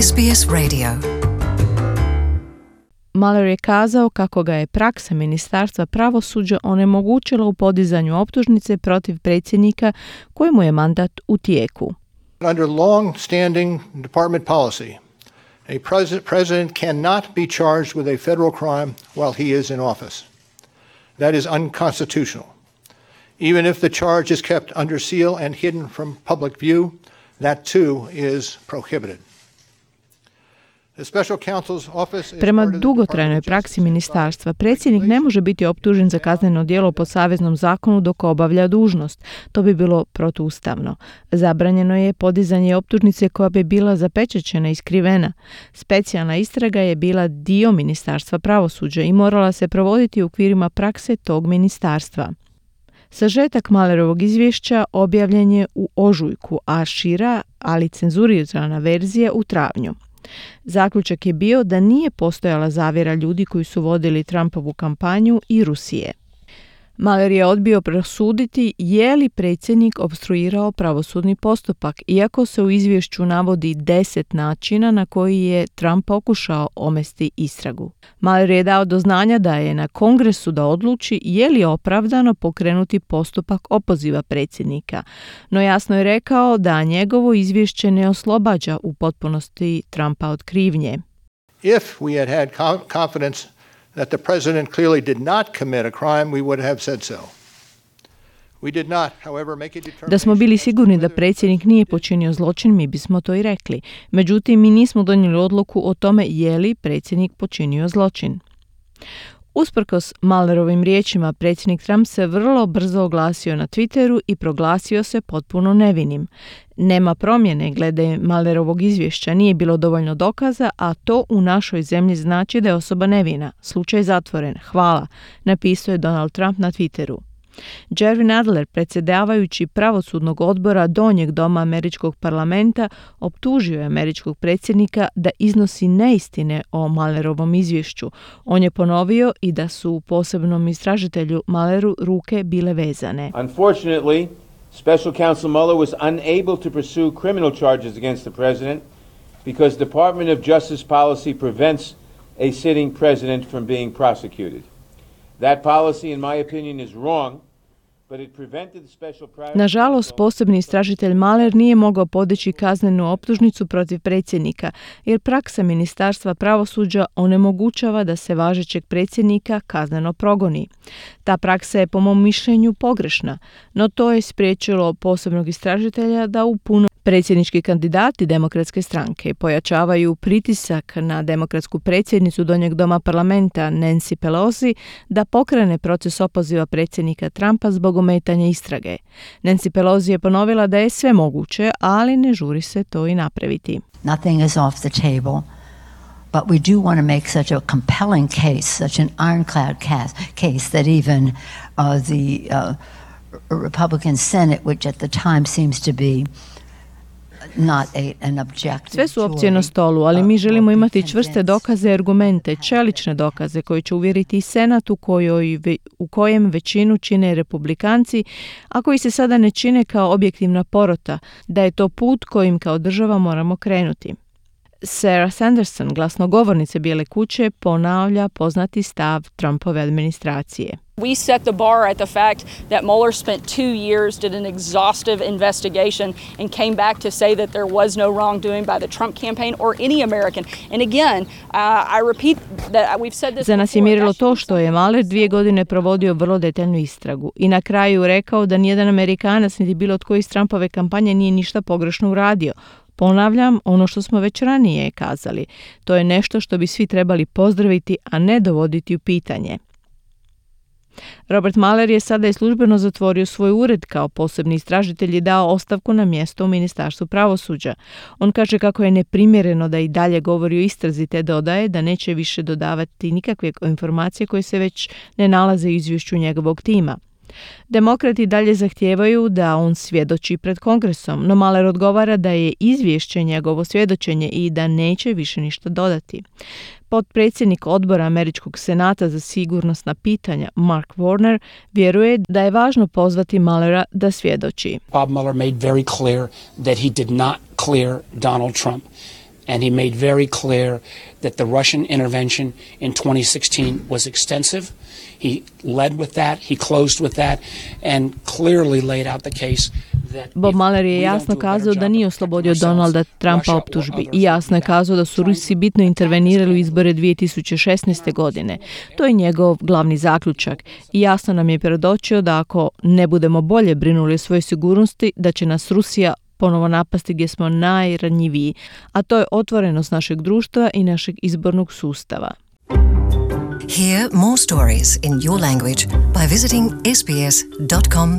SBS Radio. Mueller je kazao kako ga je praksa Ministarstva pravosuđa onemogućila u podizanju optužnice protiv predsjednika kojemu je mandat u tijeku. Under long-standing department policy, a president cannot be charged with a federal crime while he is in office. That is unconstitutional. Even if the charge is kept under seal and hidden from public view, that too is prohibited. Prema dugotrajnoj praksi ministarstva, predsjednik ne može biti optužen za kazneno djelo po saveznom zakonu dok obavlja dužnost. To bi bilo protuustavno. Zabranjeno je podizanje optužnice koja bi bila zapečaćena i skrivena. Specijalna istraga je bila dio Ministarstva pravosuđa i morala se provoditi u okvirima prakse tog ministarstva. Sažetak Muellerovog izvješća objavljen je u ožujku, a šira, ali cenzurirana verzija u travnju. Zaključak je bio da nije postojala zavjera ljudi koji su vodili Trumpovu kampanju i Rusije. Mueller je odbio prosuditi je li predsjednik opstruirao pravosudni postupak, iako se u izvješću navodi 10 načina na koji je Trump pokušao omesti istragu. Mueller je dao do znanja da je na Kongresu da odluči je li opravdano pokrenuti postupak opoziva predsjednika, no jasno je rekao da njegovo izvješće ne oslobađa u potpunosti Trumpa od krivnje. If we had confidence that the president clearly did not commit a crime, we would have said so. We did not, however, make a determination. Da smo bili sigurni da predsjednik nije počinio zločin, mi bismo to i rekli. Međutim, mi nismo donijeli odluku o tome je li predsjednik počinio zločin. Usprkos Muellerovim riječima, predsjednik Trump se vrlo brzo oglasio na Twitteru i proglasio se potpuno nevinim. Nema promjene glede Muellerovog izvješća, nije bilo dovoljno dokaza, a to u našoj zemlji znači da je osoba nevina. Slučaj zatvoren. Hvala, napisao je Donald Trump na Twitteru. Jerry Nadler, predsjedavajući pravosudnog odbora donjeg doma američkog parlamenta, optužio je američkog predsjednika da iznosi neistine o Muellerovom izvješću. On je ponovio i da su posebnom istražitelju Muelleru ruke bile vezane. Unfortunately, Special Counsel Mueller was unable to pursue criminal charges against the president because Department of Justice policy prevents a sitting president from being prosecuted. That policy, in my opinion, is wrong, but it prevented the special private... Nažalost, posebni istražitelj Mueller nije mogao podići kaznenu optužnicu protiv predsjednika, jer praksa Ministarstva pravosuđa onemogućava da se važećeg predsjednika kazneno progoni. Ta praksa je po mom mišljenju pogrešna, no to je spriječilo posebnog istražitelja da u puno predsjednički kandidati demokratske stranke pojačavaju pritisak na demokratsku predsjednicu donjeg doma parlamenta Nancy Pelosi da pokrene proces opoziva predsjednika Trumpa zbog ometanja istrage. Nancy Pelosi je ponovila da je sve moguće, ali ne žuri se to i napraviti. Nothing is off the table, but we do want to make such a compelling case, such an ironclad case that even the Republican Senate, which at the time seems to be sve su opcije na stolu, ali mi želimo imati čvrste dokaze i argumente, čelične dokaze koji će uvjeriti i Senat u kojem većinu čine republikanci, a koji se sada ne čine kao objektivna porota, da je to put kojim kao država moramo krenuti. Sarah Sanderson, glasnogovornice Bijele kuće, ponavlja poznati stav Trumpove administracije. We set the bar at the fact that Mueller spent 2 years, did an exhaustive investigation, and came back to say that there was no wrongdoing by the Trump campaign or any American. And again, I repeat that we've said this. Za nas je mjerilo to što je Mueller 2 godine provodio vrlo detaljnu istragu i na kraju rekao da nijedan Amerikanac niti bilo tko iz Trumpove kampanje nije ništa pogrešno uradio. Ponavljam ono što smo već ranije kazali. To je nešto što bi svi trebali pozdraviti, a ne dovoditi u pitanje. Robert Mueller je sada i službeno zatvorio svoj ured kao posebni istražitelj i dao ostavku na mjesto u Ministarstvu pravosuđa. On kaže kako je neprimjereno da i dalje govori o istrazi, te dodaje da neće više dodavati nikakve informacije koje se već ne nalaze u izvješću njegovog tima. Demokrati dalje zahtijevaju da on svjedoči pred Kongresom, no Mueller odgovara da je izvješće njegovo svjedočenje i da neće više ništa dodati. Potpredsjednik odbora Američkog senata za sigurnosna pitanja Mark Warner vjeruje da je važno pozvati Muellera da svjedoči. Bob Mueller made very clear that he did not clear Donald Trump. and he made very clear that the Russian intervention in 2016 was extensive. He led with that, he closed with that, and clearly laid out the case. Bob Mueller je jasno kazao da nije oslobodio Donalda Trumpa optužbi i jasno je kazao da su Rusi bitno intervenirali u izbore 2016. godine. To je njegov glavni zaključak i jasno nam je predočio da ako ne budemo bolje brinuli o svojoj sigurnosti, da će nas Rusija ponovo napasti gdje smo najranjiviji, a to je otvorenost našeg društva i našeg izbornog sustava. Hear more stories in your language by visiting sbs.com.au.